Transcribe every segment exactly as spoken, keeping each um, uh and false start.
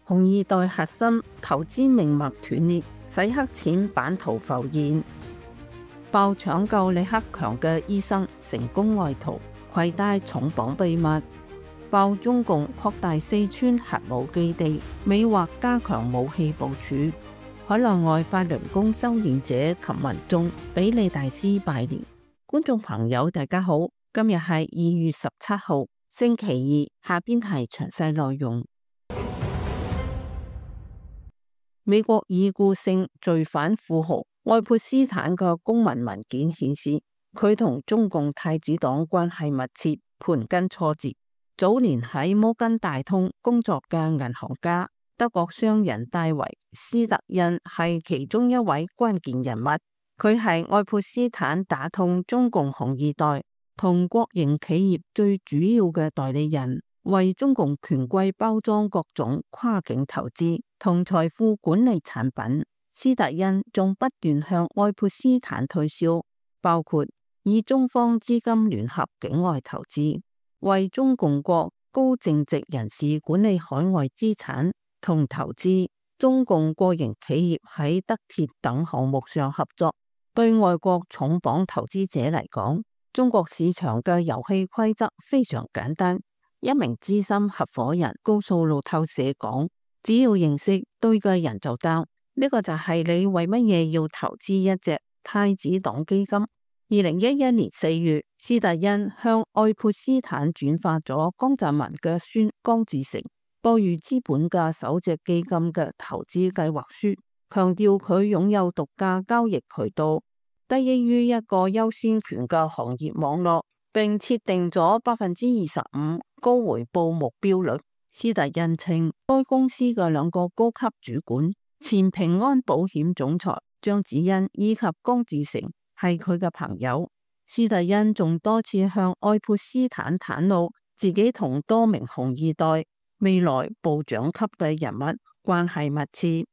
紅二代核心投資命脈斷裂，洗黑錢版圖浮現。爆搶救李克強嘅醫生成功外逃，攜帶重磅秘密。爆中共擴大四川核武基地，美或加強武器部署。海內外法輪功修煉者及民眾俾李大師拜年。觀眾朋友大家好，今日係二月十七號星期二，下邊係詳細內容。美國已故性罪犯富豪愛潑斯坦嘅公民文件顯示，佢同中共太子黨關係密切，盤根錯節。早年喺摩根大通工作嘅銀行家德國商人戴維斯特恩係其中一位關鍵人物。佢係愛潑斯坦打通中共紅二代同國營企業最主要嘅代理人，為中共權貴包裝各種跨境投資同財富管理產品。斯特恩仲不斷向愛潑斯坦推銷，包括以中方資金聯合境外投資，為中共國高淨值人士管理海外資產同投資，中共國營企業喺德鐵等項目上合作。對外國重磅投資者嚟講，中國市場嘅遊戲規則非常簡單。一名資深合夥人告訴路透社講，只要認識對嘅人就得。呢個就係你為乜嘢要投資一隻太子黨基金。二零一一年四月，斯特恩向愛潑斯坦轉發咗江澤民嘅孫江志成博裕資本嘅首隻基金嘅投資計劃書，強調佢擁有獨家交易渠道，得益於一個優先權嘅行業網絡，並設定咗百分之二十五高回報目標率。斯特恩稱，該公司嘅兩個高級主管，前平安保險總裁張子欣以及江志成係佢嘅朋友。斯特恩仲多次向愛潑斯坦袒露自己同多名紅二代未來部長級嘅人物關係密切。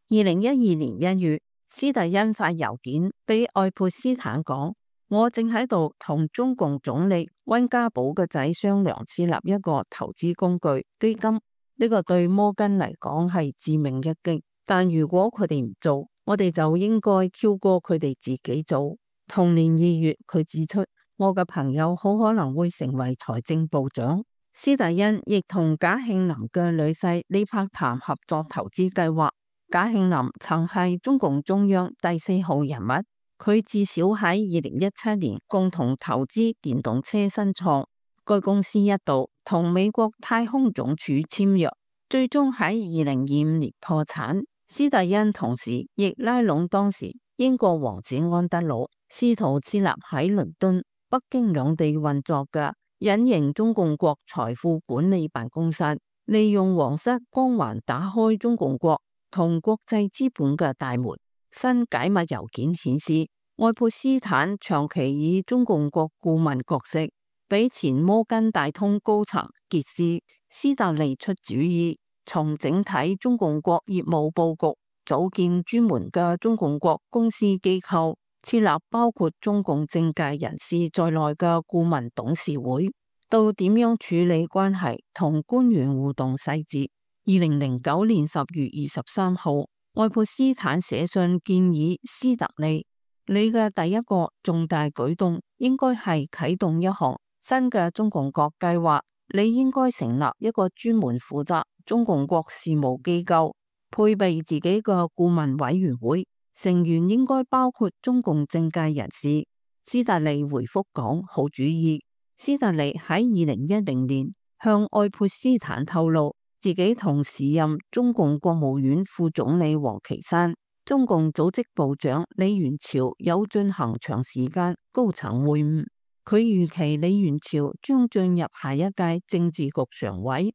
二零一二年一月，斯特恩發郵件俾愛潑斯坦講，我正喺度同中共總理溫家寶嘅仔商量設立一個投資工具基金，呢、這個對摩根嚟講係致命一擊。但如果佢哋唔做，我哋就應該跳過佢哋自己做。同年二月，佢指出，我嘅朋友好可能會成為財政部長。斯特恩亦同賈慶林嘅女婿李柏談合作投資計劃。賈慶林曾係中共中央第四號人物，佢至少喺二零一七年共同投資電動車新創，該公司一度同美國太空總署簽約，最終喺二零二五年破產。斯特恩同時亦拉攏當時英國王子安德魯，試圖設立喺倫敦、北京兩地運作嘅隱形中共國財富管理辦公室，利用皇室光環打開中共國同國際資本嘅大門。新解密郵件顯示，愛潑斯坦長期以中共國顧問角色，俾前摩根大通高層傑斯斯特利出主意，從整體中共國業務佈局，組建專門嘅中共國公司機構，設立包括中共政界人士在內嘅顧問董事會，到點樣處理關係同官員互動細節。二零零九年十月二十三號，愛潑斯坦寫信建議斯特利，你嘅第一個重大舉動應該係啟動一項新嘅中共國計劃，你應該成立一個專門負責中共國事務機構，配備自己嘅顧問委員會，成員應該包括中共政界人士。斯特利回覆講，好主意。斯特利喺二零一零年向愛潑斯坦透露，自己同時任中共國務院副總理王岐山、中共組織部長李元朝有進行長時間高層會晤。佢預期李元朝將進入下一屆政治局常委。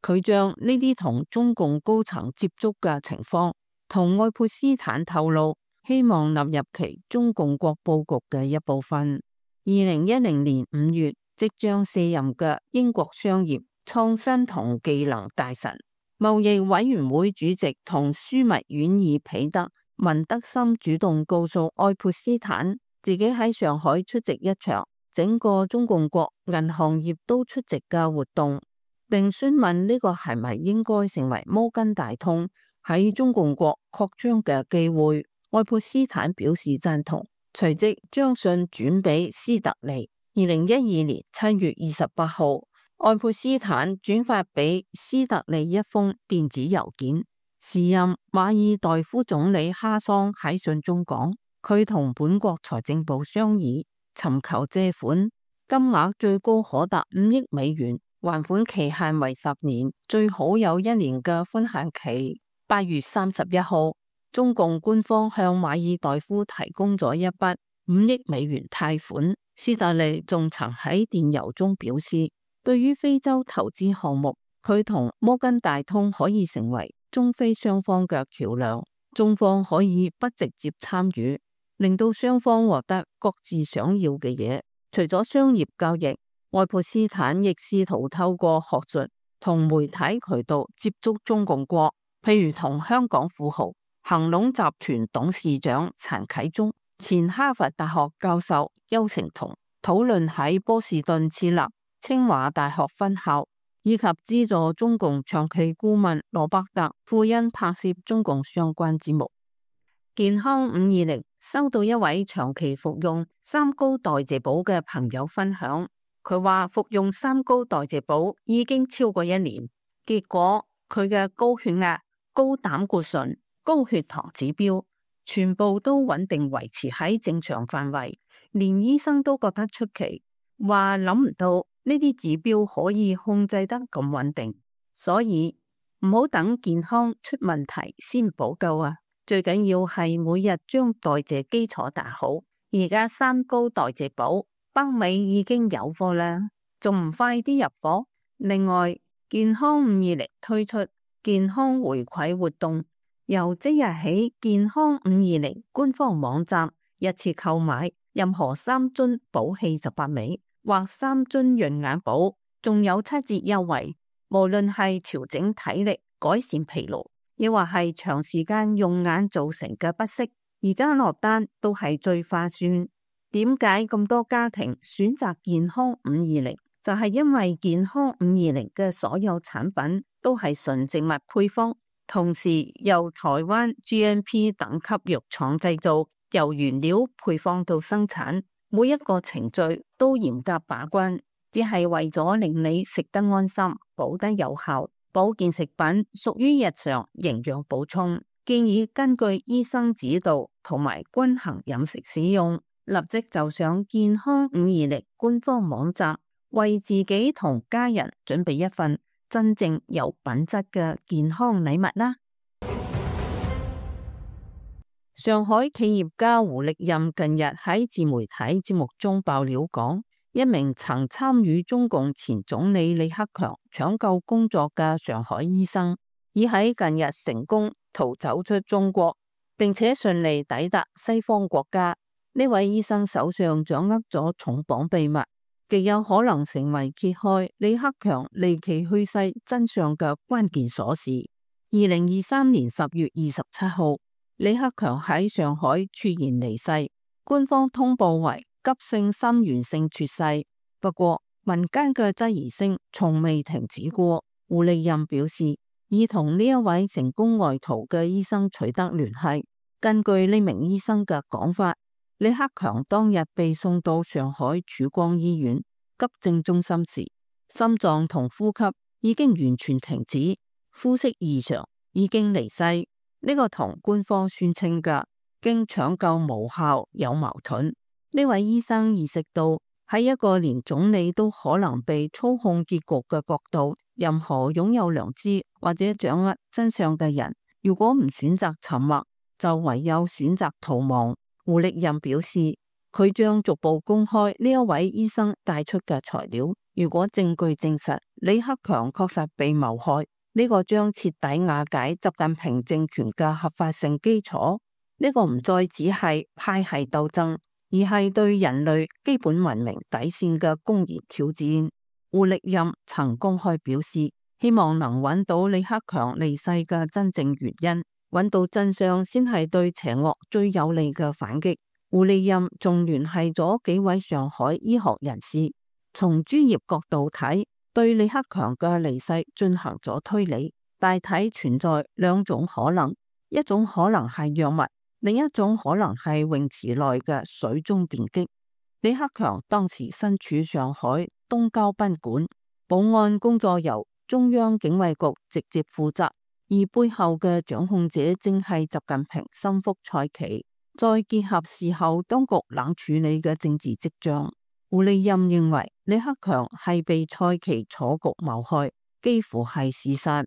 佢將呢啲同中共高層接觸嘅情況同愛潑斯坦透露，希望納入其中共國佈局嘅一部分。二零一零年五月，即將卸任嘅英國商業、創新同技能大臣、貿易委員會主席同樞密院議彼得文德森主動告訴愛潑斯坦，自己喺上海出席一場整個中共國銀行業都出席嘅活動。並詢問呢個係咪應該成為摩根大通喺中共國擴張嘅機會。愛潑斯坦表示贊同，隨即將信轉俾斯特利。二零一二年七月二十八號，愛潑斯坦轉發俾斯特利一封電子郵件。時任馬爾代夫總理哈桑喺信中講，佢同本國財政部商議，尋求借款，金額最高可達五億美元，還款期限為十年，最好有一年嘅寬限期。八月三十一號，中共官方向馬爾代夫提供咗一筆五億美元貸款。斯特利仲曾喺電郵中表示，對於非洲投資項目，佢同摩根大通可以成為中非雙方嘅橋樑，中方可以不直接參與，令到雙方獲得各自想要嘅嘢。除咗商業交易，愛潑斯坦亦試圖透過學術同媒體渠道接觸中共國，譬如同香港富豪恒隆集團董事長陳啟宗、前哈佛大學教授邱成桐討論喺波士頓設立清華大學分校，以及資助中共長期顧問羅伯特·庫恩拍攝中共相關節目。健康五二零收到一位長期服用三高代謝寶嘅朋友分享，佢話服用三高代謝寶已經超過一年，結果佢嘅高血壓、高膽固醇、高血糖指標全部都穩定維持喺正常範圍，連醫生都覺得出奇，話諗唔到呢啲指標可以控制得咁穩定，所以唔好等健康出問題先補救啊！最緊要係每日將代謝基礎打好。而家三高代謝寶北美已經有貨啦，仲唔快啲入貨？另外，健康五二零推出健康回饋活動，由即日起，健康五二零官方網站一次購買任何三樽寶氣十八味或三樽潤眼寶，仲有七折優惠。無論係調整體力、改善疲勞，亦或係長時間用眼造成嘅不適，而家落單都係最划算。點解咁多家庭選擇健康五二零？就係因為健康五二零嘅所有產品都係純植物配方，同時由台灣 G M P 等級藥廠製造，由原料配方到生產，每一個程序都嚴格把關，只係為咗令你食得安心、補得有效。保健食品屬於日常營養補充，建議根據醫生指導同埋均衡飲食使用。立即就上健康五二零官方網站，為自己同家人準備一份真正有品質嘅健康禮物啦！上海企業家胡力任近日喺自媒體節目中爆料講，一名曾參與中共前總理李克強搶救工作嘅上海醫生，已喺近日成功逃走出中國，並且順利抵達西方國家。呢位醫生手上掌握咗重磅秘密，極有可能成為揭開李克強離奇去世真相嘅關鍵鎖匙。二零二三年十月二十七號，李克強喺上海猝然離世，官方通報為急性心源性猝逝。不過民間嘅質疑聲從未停止過。胡力任表示，已同呢一位成功外逃嘅醫生取得聯繫。根據呢名醫生嘅講法，李克強當日被送到上海曙光醫院急症中心時，心臟同呼吸已經完全停止，呼吸異常，已經離世。呢個同官方宣稱嘅經搶救無效有矛盾。呢位醫生意識到，喺一個連總理都可能被操控結局嘅國度，任何擁有良知或者掌握真相嘅人，如果唔選擇沉默，就唯有選擇逃亡。胡力任表示，佢將逐步公開呢一位醫生帶出嘅材料。如果證據證實李克強確實被謀害，呢個將徹底瓦解習近平政權嘅合法性基礎。呢個唔再只係派系鬥爭，而係對人類基本文明底線嘅公然挑戰。胡力任曾公開表示，希望能揾到李克強離世嘅真正原因。揾到真相先係對邪惡最有利嘅反擊。胡力任仲聯繫咗幾位上海醫學人士，從專業角度睇，對李克強嘅離世進行咗推理，大體存在兩種可能，一種可能係藥物，另一種可能係泳池內嘅水中電擊。李克強當時身處上海東郊賓館，保安工作由中央警衛局直接負責，而背後嘅掌控者正係習近平心腹蔡奇。再結合事後當局冷處理嘅政治跡象，胡利任認為李克強係被蔡奇楚局謀害，幾乎係事實。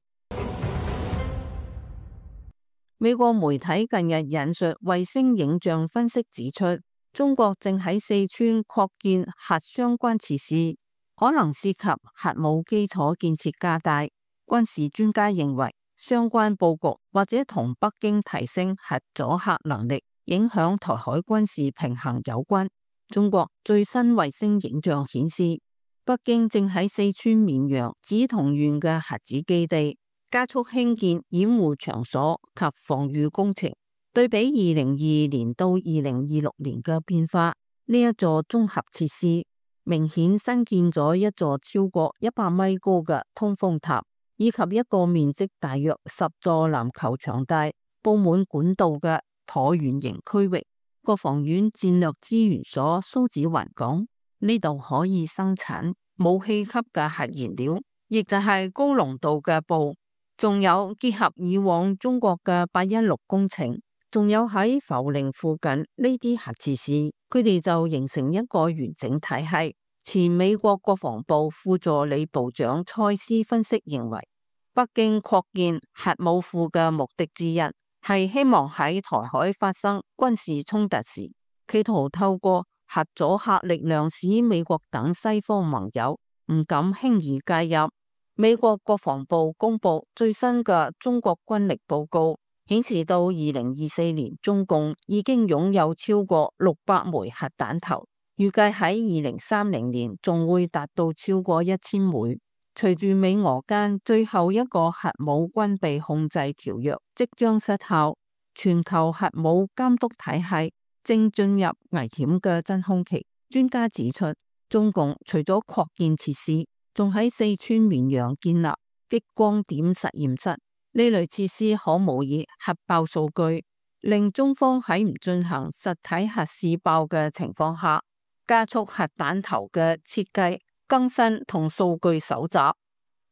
美國媒體近日引述衛星影像分析指出，中國正喺四川擴建核相關設施，可能涉及核武基礎建設加大。軍事專家認為，相關佈局或者同北京提升核阻嚇能力，影響台海軍事平衡有關。中國最新衛星影像顯示，北京正喺四川綿陽梓桐縣嘅核子基地加速興建掩護場所及防禦工程。對比二零二二年到二零二六年嘅變化，呢一座綜合設施明顯新建咗一座超過一百米高嘅通風塔，以及一個面積大約十座籃球場大、佈滿管道嘅橢圓形區域。國防院戰略資源所蘇子雲講，呢度可以生產武器級嘅核燃料，亦就係高濃度嘅鈈。仲有結合以往中國嘅八一六工程，仲有喺涪陵附近呢啲核設施，佢哋就形成一個完整體系。前美國國防部副助理部長蔡斯分析認為，北京擴建核武庫嘅目的之一，係希望喺台海發生軍事衝突時，企圖透過核阻嚇力量使美國等西方盟友唔敢輕易介入。美國國防部公布最新嘅中國軍力報告，顯示到二零二四年中共已經擁有超過六百枚核彈頭，預計喺二零三零年仲會達到超過一千枚。隨住美俄間最後一個核武軍備控制條約即將失效，全球核武監督體系正進入危險嘅真空期。專家指出，中共除咗擴建設施，仲喺四川綿陽建立激光點實驗室，呢類設施可模擬核爆數據，令中方喺唔進行實體核試爆嘅情況下，加速核彈頭嘅設計、更新同數據搜集。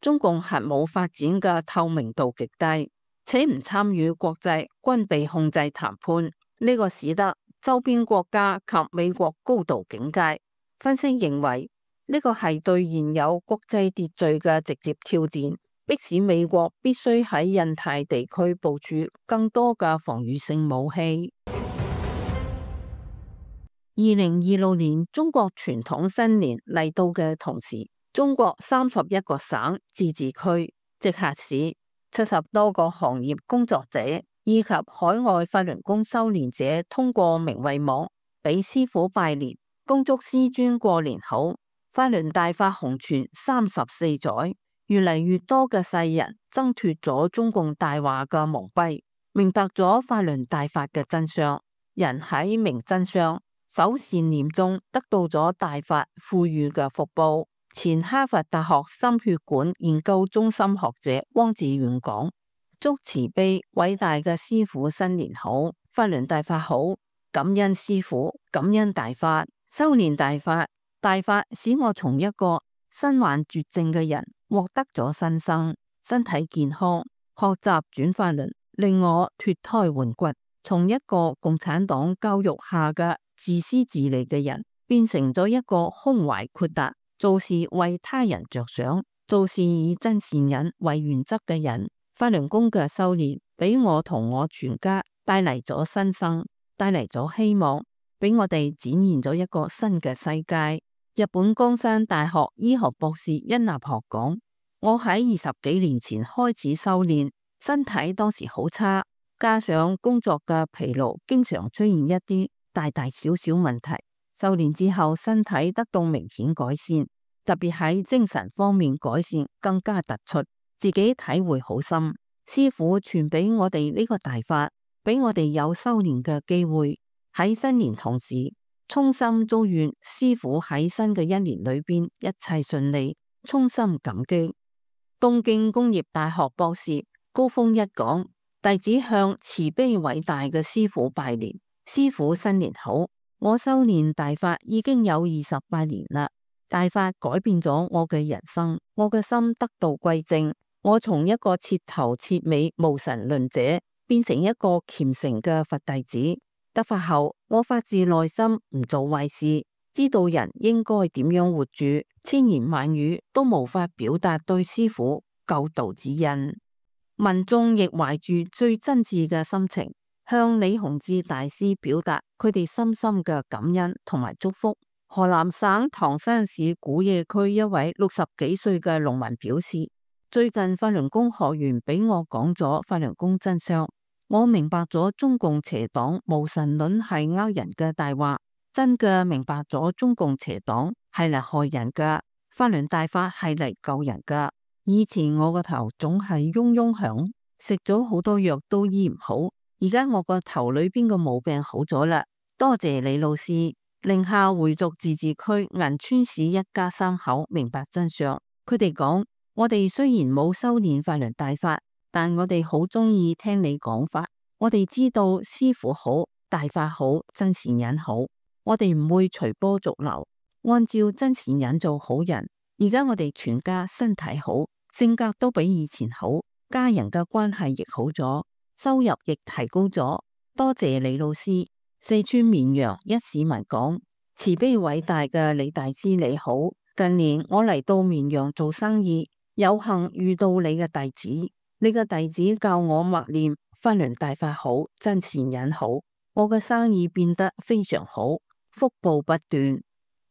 中共核武發展嘅透明度極低，且唔參與國際軍備控制談判，呢個使得周邊國家及美國高度警戒。分析認為，呢個係對現有國際秩序嘅直接挑戰，迫使美國必須喺印太地區部署更多嘅防禦性武器。二零二六年中國傳統新年嚟到嘅同時，中國三十一個省、自治區、直轄市、七十多個行業工作者以及海外法輪功修煉者通過明慧網俾師父拜年，恭祝師尊過年好。法輪大法紅傳三十四載，越嚟越多嘅世人掙脫咗中共大話嘅蒙蔽，明白咗法輪大法嘅真相。人喺明真相、守善念中得到咗大法賦予嘅福報。前哈佛大學心血管研究中心學者汪志遠講：祝慈悲偉大嘅師父新年好，法輪大法好，感恩師父，感恩大法，修煉大法，大法使我從一個身患絕症嘅人獲得咗新生，身體健康，學習轉法輪，令我脫胎換骨，從一個共產黨教育下嘅自私自利嘅人，變成咗一個胸懷豁達、做事為他人着想、做事以真善忍為原則嘅人。法輪功嘅修煉俾我同我全家帶嚟咗新生，帶嚟咗希望，俾我哋展現咗一個新嘅世界。日本江山大學醫學博士殷立學講：我喺二十幾年前開始修煉，身體當時好差，加上工作嘅疲勞，經常出現一啲大大小小問題。修煉之後，身體得到明顯改善，特別喺精神方面改善更加突出，自己體會好深。師父傳俾我哋呢個大法，俾我哋有修煉嘅機會。喺新年同時，衷心祝願師父喺新嘅一年裏邊一切順利，衷心感激。東京工業大學博士高峰一講，弟子向慈悲偉大嘅師父拜年，師父新年好。我修煉大法已經有二十八年啦，大法改變咗我嘅人生，我嘅心得到歸正，我從一個徹頭徹尾無神論者變成一個虔誠嘅佛弟子。得法後，我發自內心唔做壞事，知道人應該點樣活住，千言萬語都無法表達對師父救度之恩。民眾亦懷住最真摯嘅心情，向李洪志大師表達佢哋深深嘅感恩同埋祝福。河南省唐山市古冶區一位六十幾歲嘅農民表示，最近法輪功學員俾我講咗法輪功真相，我明白咗中共邪黨無神論係呃人嘅大話，真嘅明白咗中共邪黨係嚟害人噶，法輪大法係嚟救人噶。以前我個頭總係嗡嗡響，食咗好多藥都醫唔好，而家我個頭裏邊個毛病好咗啦，多謝李老師。寧夏回族自治區銀川市一家三口明白真相，佢哋講：我哋雖然冇修煉法輪大法，但我哋好中意聽你講法。我哋知道師父好，大法好，真善忍好，我哋唔會隨波逐流，按照真善忍做好人。而家我哋全家身體好，性格都比以前好，家人嘅關係亦好咗，收入亦提高咗。多謝李老師。四川綿陽一市民講：慈悲偉大嘅李大師你好，近年我嚟到綿陽做生意，有幸遇到你嘅弟子，你嘅弟子教我默念法輪大法好，真善忍好，我嘅生意變得非常好，福報不斷。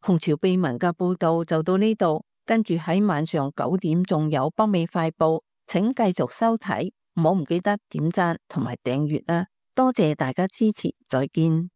紅潮秘聞嘅報道就到呢度，跟住喺晚上九點仲有北美快報，請繼續收睇，唔好唔記得點讚同埋訂閱啦。多謝大家支持，再見。